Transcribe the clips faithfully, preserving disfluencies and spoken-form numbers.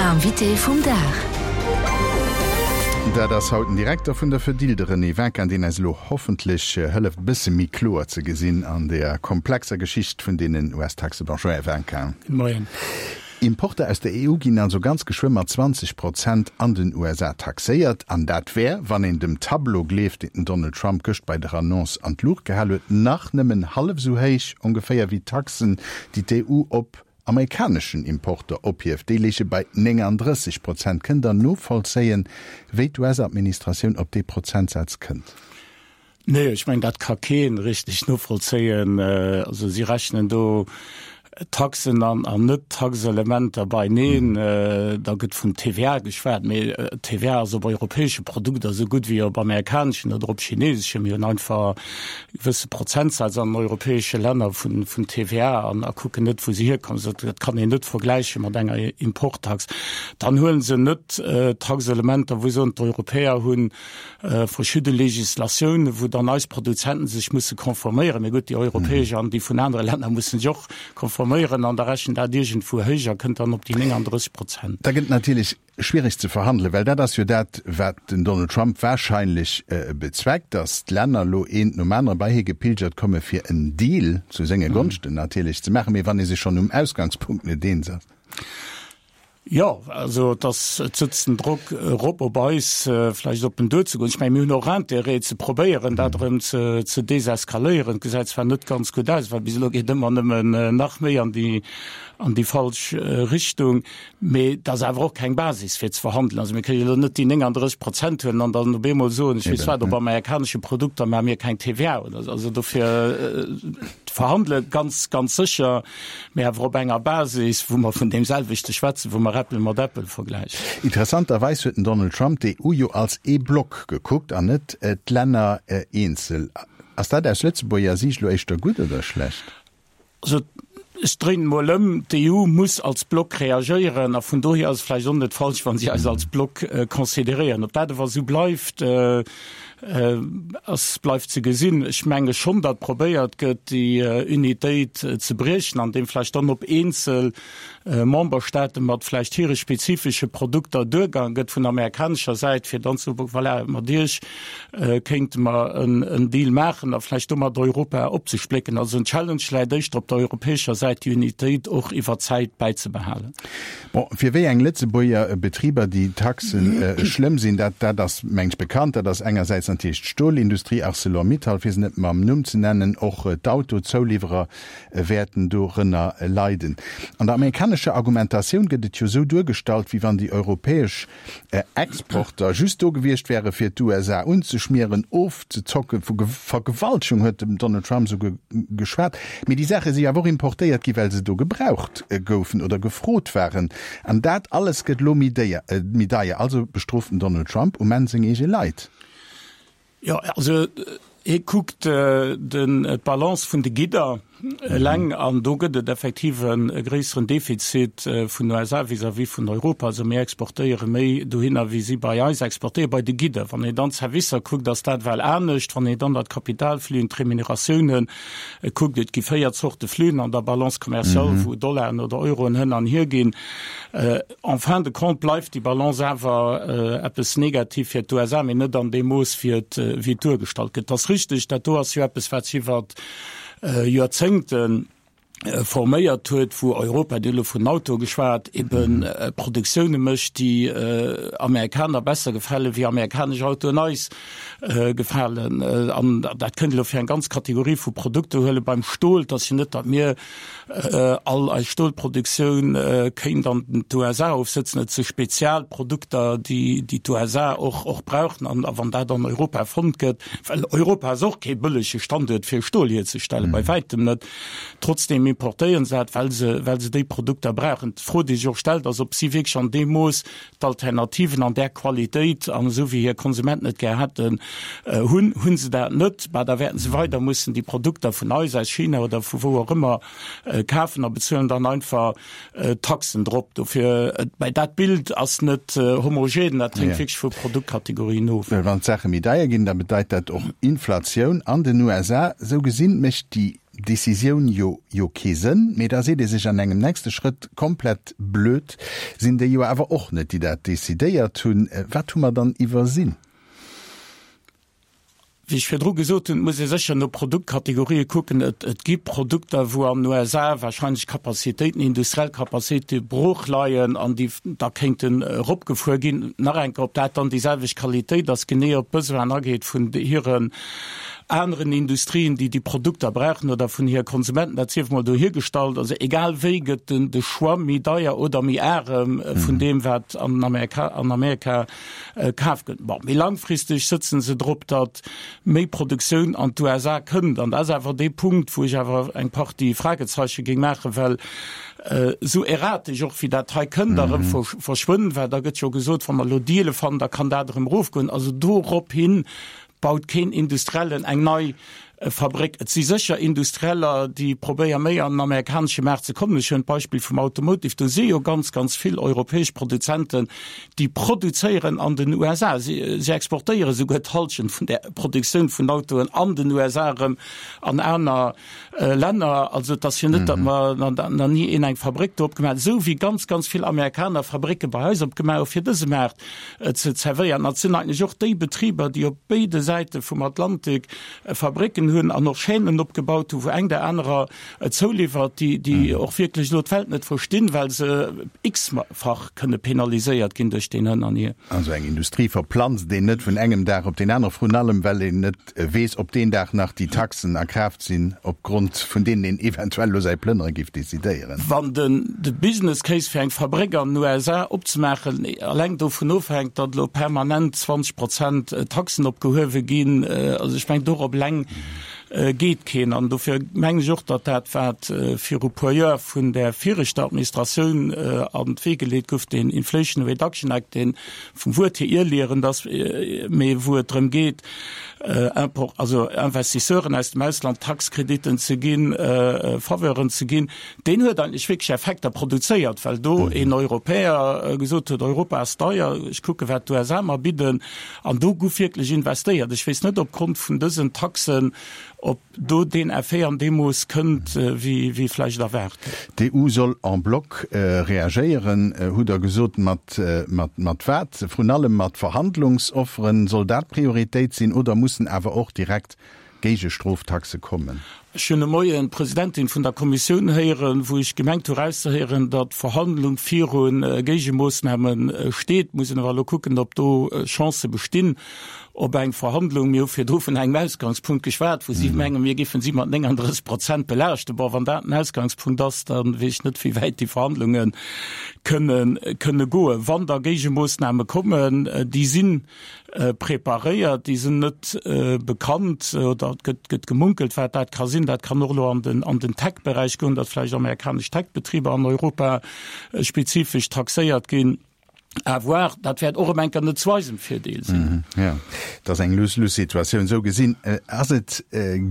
L'invité vum Dag. Dat ass haut den Direkter vun der Fedil, de René Vinquin, deen eis elo hoffentlech hëlleft, e bësse méi kloer ze gesinn an deeër komplexer Geschicht vun deenen U S-Taxen. Bonjour, Här Vinquin. Moien. Importer aus der E U ginn also ganz geschwë mat zwanzeg Prozent an den U S A taxéiert. An dat wär, wann een dem Tableau gleeft, deen den Donald Trump gëscht bei der Annonce an d'Luucht gehal huet, nach nëmmen hallef esou héich ongeféier wéi d'Taxen, déi d'E U op amerikaneschen Importer ophieft. Déi léiche bei nénganddrësseg Prozent. Kënnt Der novollzéien, wéi d'U S-Administratioun op dee Prozentsaz kënnt? Nee, ech mengen, dat ka kee richteg novollzéien. Also si rechnen do Taxen an an Net-Taxelementer beineen. Da gëtt vun T V A geschwat, mee T V A ass op europäesche Produkter esou gutt wéi op amerikaneschen oder op chineseschen. Mir hunn einfach e gewësse Prozentsaz an den europäesche Länner vun vun T V A an a kucken net, wou se hierkommen. Also dat kann een net vergläiche mat enger Importtax. Dann huele se net Taxelementer, wou se soen, d'Europäer hunn verschidde Legislatiounen, wou dann eis Produzenten sech musse konforméieren. Mee gutt, déi europäesch an déi vun anere Länner musse sech och konforméieren an da rechent dat iergendwou héich a kënnt dann op déi nénganddrësseg Prozent. Da gëtt natierlech schwierig ze verhandelen, well dat ass jo dat, wat den Donald Trump wahrscheinlech bezweckt, datt d'Länner elo eent nom anere bei hie gepilgert komme fir en Deal zu senge Gonschten natierlech ze maachen. Mee wann ee sech schonn um Ausgangspunkt net eens ass. Jo, also et ass, et sëtzt den Drock erop op eis, vläicht op en duerzegoen. Ech mengen, mir hunn och Intérêt ze probéieren, dat erëm ze, ze deseskaléieren. Et gesäit zwar net ganz gutt aus, well bis elo geet ëmmer nëmmen nach méi an déi, an déi falsch Richtung, mee et ass awer och keng Basis fir ze verhandelen. Also mir kënnen jo elo net déi nénganddrësseg Prozent huelen an dann op eemol soen, ech weess wat, op amerikanesche Produkter maache mir keng T V A oder esou. Also dofir verhandele ganz, ganz sécher, mee awer op enger Basis, wou mer vun deem selwechte schwätzen, wou mer Äppel mat Äppel vergläichen. Interessanterweis huet den Donald Trump d'E U jo als ee Block gekuckt an net d'Länner eenzel. Ass dat aus Lëtzebuerger Siicht elo éischter gutt oder schlecht? Also ech dréinen emol ëm, D'E U muss als Block reagéieren a vun dohier ass et vläicht och net falsch, wa si eis als Block consideréieren. Ob dat awer esou bleift, ass bleift ze gesinn. Ech menge schonn, datt probéiert gëtt, déi Unitéit ze briechen, andeem vläicht dann op eenzel Memberstaate mat vläicht hire spezifesche Produkter duergaang gëtt vun amerikanescher Säit, fir dann ze soen, voilà, mat Iech kéinte mer en Deal maachen a vläicht domat Europa opzesplécken. Also en Challenge läit éischter op der europäescher Säit, déi Unitéit och iwwer d'Zäit bäizebehalen. Bon, fir wéi eng Lëtzebuerger Betriber déi Taxen schlëmm sinn, dat dat ass, meng ech, bekannt. Dat ass engersäits natierlech d'Stolindustrie, Arcelor-Mittal, fir se net mam Numm ze nennen, och d'Autozouliwwerer wäerten dorënner leiden. An der amerikanescher Argumentatioun gëtt et jo esou duergestallt, wéi wann déi europäesch Exporter just do gewiescht wäre fir d'U S A unzeschmieren, ofzezocken, vu Vergewaltegung huet den Donald Trump souguer geschwat. Mee déi Saache si awer och importéiert gi well se do gebraucht goufen oder gefrot waren. An dat alles gëtt elo méi déier, méi deier. Also bestrooft den Donald Trump um Enn seng eege Leit. Jo, also hie kuckt den d'Balance vun de Gidder eleng an do gëtt et effektiv e gréisseren Defizit vun den U S A vis-à-vis vun Europa. Also mir exportéiere méi dohinner, wéi si bei eis exportéieren, bei de Gidder. Wann een dann d'Servicer kuckt, ass dat well anescht. Wann een dann dat Kapitalflüen, d'Remuneratiounen kuckt, et gi véier Zorte Flüen an der Balance commerciale, wou Dollaren oder Euroen hënn an hier ginn. En fin de compte bleift déi Balance awer eppes negativ fir d'U S A, mee net an deem Mooss, wéi et, wéi et duergestallt gëtt. Et ass richteg, dat do ass jo eppes, wat sech iwwert Joerzéngte forméiert huet, wou Europa, Dir hutt elo vun Auto geschwat, ebe Produktioune mécht, déi Amerikaner besser gefale wéi amerikanesch Autoen eis gefalen. An dat kënnt elo fir eng ganz Kategorie vu Produkter huelen. Beim Stol, et ass jo net, datt mir all eis Stolproduktioun kéint an d'U S A ofsëtzen. Et si Spezialprodukter, déi d'U S A och och brauchen. An wann dat an Europa fonnt gëtt, well Europa ass och kee bëllege Standuert fir Stol hierzestellen, bei wäitem net, trotzdeem importéieren se dat, well se well se déi Produkter brauchen. D'Fro, déi sech och stellt, ass, ob si wierklech an deem Mooss d'Alternativen an där Qualitéit an esou wéi hir Konsumenten et gär hätten, hunn. Hunn se dat net, bah, da wäerten se weider mussen déi Produkter vun eis, aus China oder vu wou och ëmmer, kafen a bezuelen dann einfach Taxen drop. Dofir, mä dat Bild ass net homogen, dat hänkt wierklech vu Produktkategorien of. Well wann d'Saache méi deier ginn, da bedeit dat och Inflatioun an den U S A. Esou gesinn mécht déi Decisioun jo jo kee Sënn, mee da seet ee sech an engem nächste Schrëtt, komplett blöd sinn déi jo awer och net, déi dat decidéiert hunn. Wat hu mer dann iwwersinn? Wéi ech virdru gesot hunn, muss ee sécher no Produktkategorië kucken. Et, et gi Produkter, wou an den U S A wahrscheinlech Capacitéiten, industriell Capacitéite brooch leien an déi da kéinten eropgefuer ginn. Nach eng Kéier, ob dat dann déi selwecht Qualitéit ass, genee op d'Besoinen ageet vun hiren aneren Industrien, déi déi Produkter brauchen, oder vun hire Konsumenten, dat sief mol dohigestallt. Also egal wéi gëtt den de Choix méi deier oder méi arem vun deem, wat an Amerika, an Amerika kaf gëtt. Bon, méi langfristeg sëtzen se drop, datt méi Produktioun an d'U S A kënnt. An dat ass awer dee Punkt, wou ech awer eng Partie Fragezeiche géing maachen, well esou erratesch och wéi dat hei kënnt a rëm verschwënnt, well da gëtt jo gesot, wa mer elo Deale fannen, da kann dat erëm erofgoen. Also dorop hin baut keen Industriellen eng nei Fabréck. Et si sécher Industrieller, déi probéiere méi an den amerikanesche Maart ze kommen. Ech hunn d'Beispill vum Automotive. Do si jo ganz, ganz vill europäesch Produzenten, déi produzéieren an den U S A. Si, si exportéiere souguer d'Hallschent vun der Produktioun vun Autoen an den U S A erëm an aner Länner. Also et ass jo net, datt mer nach ni een eng Fabréck do opgemaach huet, esou wéi ganz, ganz vill Amerikaner Fabrécke bei eis opgemaach hu fir dëse Maart ze zerwéieren. An et sinn eigentlech och déi Betriber, déi op béide Säite vum Atlantik Fabrécken hunn an och Chaînen opgebaut hu wou eng der anerer zouliwwert, déi déi och wierklech elo d'Welt net verstinn, well se x-fach kënne penaliséiert ginn duerch deen Hënn an Hier. Also eng Industrie verplanzt een net vun engem Dag op deen anere, vrun allem well een net weess, ob deen Dag nach déi Taxen a Kraaft sinn, opgrond vun deenen een eventuell elo säi Plënnere géif decidéieren. Wann den de Business Case fir eng Fabréck an den U S A opzemaachen eleng dovun ofhänkt, datt elo permanent zwanzeg Prozent Taxen opgehuewe ginn, also ech mengen dorop eleng geet keen. An dofir mengen ech och, datt dat, wat viru puer Joer vun där viregter Administratioun an d'Wee geleet gouf, deen Inflation Reduction Act, dee vum Wuert hier irrlierend ass, mee wou et drëm geet, Import, also Investisseuren aus dem Ausland Taxkrediten ze ginn, Faveuren ze ginn, deen huet eigentlech wierklech Effekter produzéiert, well do een Europäer gesot huet, Europa ass deier, ech kucke wat d'U S A mer bidden, an do gouf wierklech investéiert. Ech weess net opgrond vun dësen Taxen, ob do deen Effet an deem Mooss kënnt, wéi wéi vläicht erwaart gëtt. D'E U soll en bloc reagéieren, hutt Der gesot. Mat mat mat wat? Vrun allem mat Verhandlungsofferen? Soll dat d'Prioritéit sinn oder mussen awer och direkt Géigestroftaxe kommen? Ech hunn de Moien d'Presidentin vun der Kommissioun héieren, wou ech gemengt hu erauszehéieren, datt Verhandlung viru Géigemoossname steet. Muss een awer elo kucken, ob do Chancë bestinn op eng Verhandlung. Mir hu virdru vun engem Ausgangspunkt geschwat, wou si mengen, mir géifen si mat nénganddrësseg Prozent belaaschten. Bon, wann dat den Ausgangspunkt ass, da weess ech net, wéi wäit déi Verhandlunge kënne kënne goen. Wann da Géigemoossname kommen, déi si preparéiert, déi sinn net bekannt oder et gëtt gëtt gemunkelt, wat dat ka sinn. Dat kann och elo an den an den Tech-Beräich goen, datt vläicht amerikanesch Tech-Betriber an Europa spezifesch taxéiert ginn. À voir, dat wäert och erëm eng Kéier net zu eisem Virdeel sinn. Jo, et ass eng Lose-lose-Situatioun. Esou gesinn ass et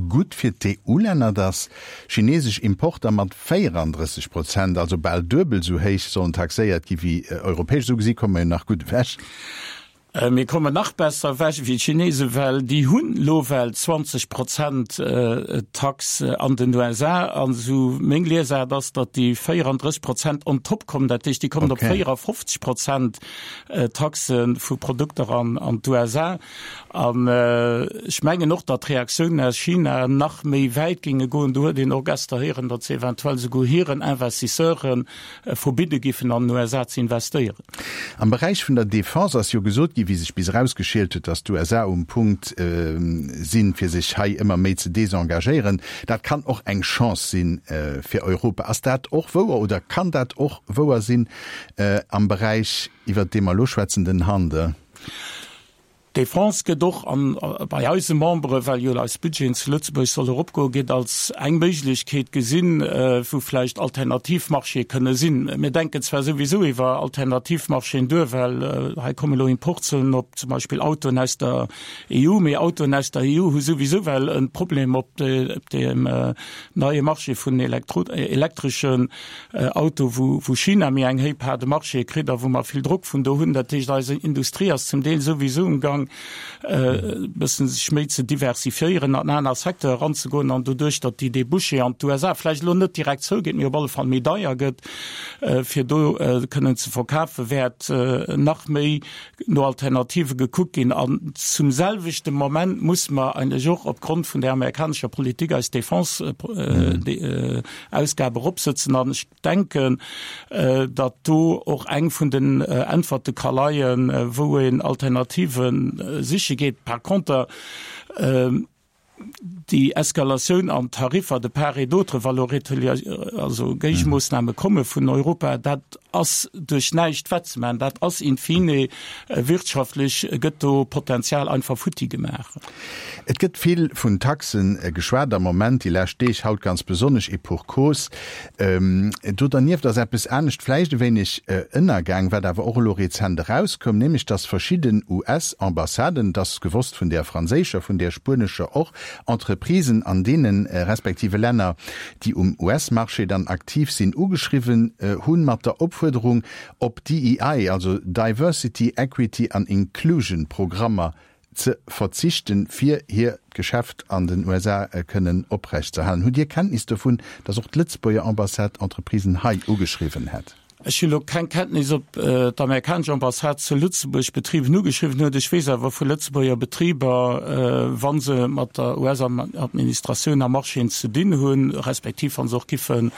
gutt fir d'E U-Länner, datt chinesesch Importer mat véierandrësseg Prozent, also bal duebel esou héich, sollen taxéiert gi wéi europäesch. Esou gesi komme mer jo nach gutt ewech. Mir kommen nach besser ewech wéi d'Chinesen, well déi hunn elo well zwanzeg Prozent Tax an den U S A. An esou meng Liesaart ass, datt déi véierandrësseg Prozent on top kommen. Dat heescht, déi kommen op véierafofzeg Prozent Taxe vu Produkter an an d'U S A. An ech mengen och, datt d'Reaktiounen aus China nach méi wäit géinge goen. Do huet een och gester héieren, datt se eventuell souguer hiren Investisseuren verbidde giffen, an den U S A ze investéieren. Am Beräich vun der Defense ass jo gesot ginn, wéi sech bis erausgeschielt huet, datt d'U S A um Punkt sinn, fir sech hei ëmmer méi ze desengagéieren. Dat kann och eng Chance si fir Europa. Ass dat och wouer oder kann dat och wouer sinn am Beräich, iwwert dee mer elo schwätzen, den Handel? D'Defense gëtt och an bei eise Membere, well jo eis Budgeten zu Lëtzebuerg solle eropgoen, gëtt als eng Méiglechkeet gesinn, wou vläicht alternativ Marchéë kënne sinn. Mir denken zwar souwisou iwwer alternativ Marchéen duer, well hei komme lo Importzöllen op zum Beispill Autoen aus der E U, mee Autoen aus der E U hu souwisou well e Problem op deem neie Marché vun elektreschen Autoe, wou China méi eng héich Part de marché kritt a wou mer vill Drock vun do hunn. Dat heescht, eis Industrie ass zum Deel souwisou um Gang, Gaang e bëssen sech méi ze diversifiéieren, an aner Secteure eranzegoen an doduerch, datt déi Débouchés an d'USA vläicht elo net direkt zougeet, mee op alle Fall méi deier gëtt, fir do kënnen ze verkafen, wäert nach méi no Alternative gekuckt ginn. An zum selwechte Moment muss mer eigentlech och opgrond vun där amerikanescher Politik eis Defense-Ausgabe eropsëtzen. An ech denken, datt do och eng vun den Äntwerte ka leien, wou een Alternative siche geet. Par conter, déi Eskalatioun an d'Tariffer de part et d'autre, wa lo also Géigemoossname komme vun Europa, dat ass duerch näischt wettzemaachen. Dat ass in fine wirtschaftlech gëtt do Potenzial einfach futti gemaach. Et gëtt vill vun Taxe geschwat am Moment, déi lescht Deeg, haut ganz besonnesch, et pour cause. Do dernieft ass eppes anescht vläicht e wéineg ënnergaang, wat awer och elo rezent erauskoum, nämlech datt verschidden US-Ambassaden, et ass gewosst vun där franséischer, vun där spuenescher och, Entreprisen an deene respektive Länner, déi um US-Marché dann aktiv sinn, ugeschriwwen hunn mat der Opfuerderung, op DEI, also Diversity, Equity an Inclusion Programmer ze verzichten, fir hiert Geschäft an den USA kënnen oprechtzeerhalen. Hutt Dir Kenntnis dovun, datt och d'Lëtzebuerger Ambassade Entreprisen hei ugeschriwwen hätt? Ech hunn elo keng Kenntnis, ob d'amerikanesch Ambassade zu Lëtzebuerg Betriben ugeschriwwen huet. Ech weess awer vu Lëtzebuerger Betriber, wa se mat der US-Administratioun a Marchéen ze dinn hunn, respektiv wa se och giffe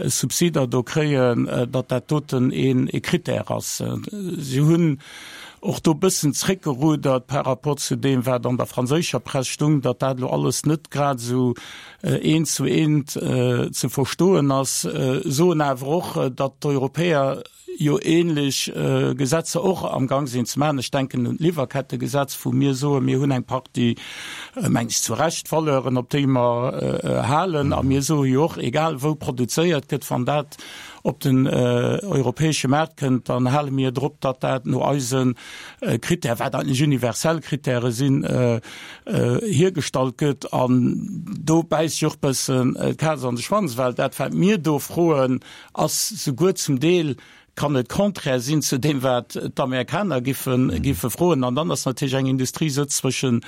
Subsider do kréien, datt dat doten ee Critère ass. Si hunn och do e bëssen zréckgerudert par rapport zu deem, wat an der franséischer Press stung, datt dat elo alles net grad esou eent zu eent ze verstoen ass, soen awer och, datt d'Europäer jo ähnlech Gesetzer och am Gang sinn ze maachen. Ech denken un d'Liwwerkettegesetz, wou mir soen, mir hunn eng Partie, mengen ech zu Recht, Valeuren, op déi mer halen. A mir soe jo och, egal wou produzéiert gëtt, wann dat op den europäesche Maart kënnt, dann hale mir drop, datt dat no eise Critèrë, wat eigentlech universell Critèrë sinn, hiergestallt gëtt. An do bäisst sech och bëssen d'Kaz an de Schwanz, well dat, wat mir do froen, ass souguer zum Deel, kann et contraire sinn zu deem, wat d'Amerikaner giffe giffe froen. An dann ass natierlech eng Industrie sëtzt zwëschen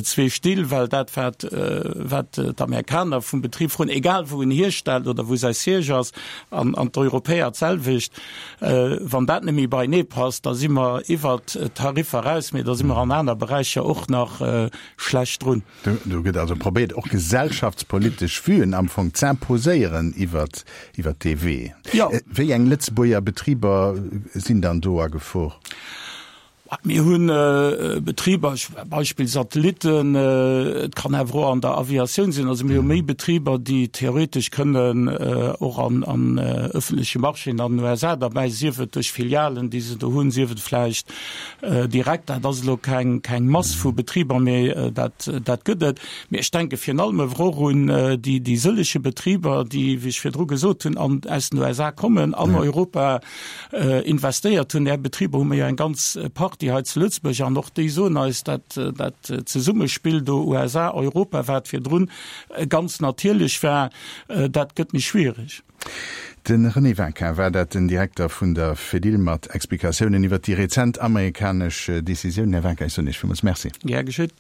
zwee Still, well dat, wat wat d'Amerikaner vum Betrib froen, egal wou en hierstellt oder wou säi Siège ass, an an d'Europäer d'selwecht, wann dat net méi beienee passt, da si mer iwwert d'Tariffer eraus, mee da si mer an aner Beräicher och nach schlecht drun. Do gëtt also probéiert, och gesellschaftspolitesch Vuen am Fong z'imposéieren iwwert iwwert dee Wee. Jo. Wéi eng Lëtzebuerger Betriber sinn dann do a Gefor? Mir hu Betriber, Beispill Satellitten, et kann awer och an der Aviatioun sinn. Also mir hu méi Betriber, déi theoretesch kënnen och an an ëffentleche Marchéen an den USA derbäi, sief et duerch Filialen, déi se do hunn, sief et vläicht direkt. Dat ass elo keng keng Mass vu Betriber, mee dat dat gëtt et. Mee ech denke virun allem awer och un déi déi sëllege Betriber, déi, wéi ech virdru gesot hunn, an aus den USA kommen, an Europa investéiert hunn. Där Betriber hu mer jo eng ganz Partie hei zu Lëtzebuerg an och déi soen eis, dat dat Zesummespill do USA, Europa, wat virdrun ganz natierlech war, dat gëtt méi schwierig. De René Winkin war dat, den Direkter vun der Fedil mat Explikatiounen iwwer déi rezent amerikanesch Decisioun. Här Winkin, ech soen Iech villmools Merci. Gär geschitt.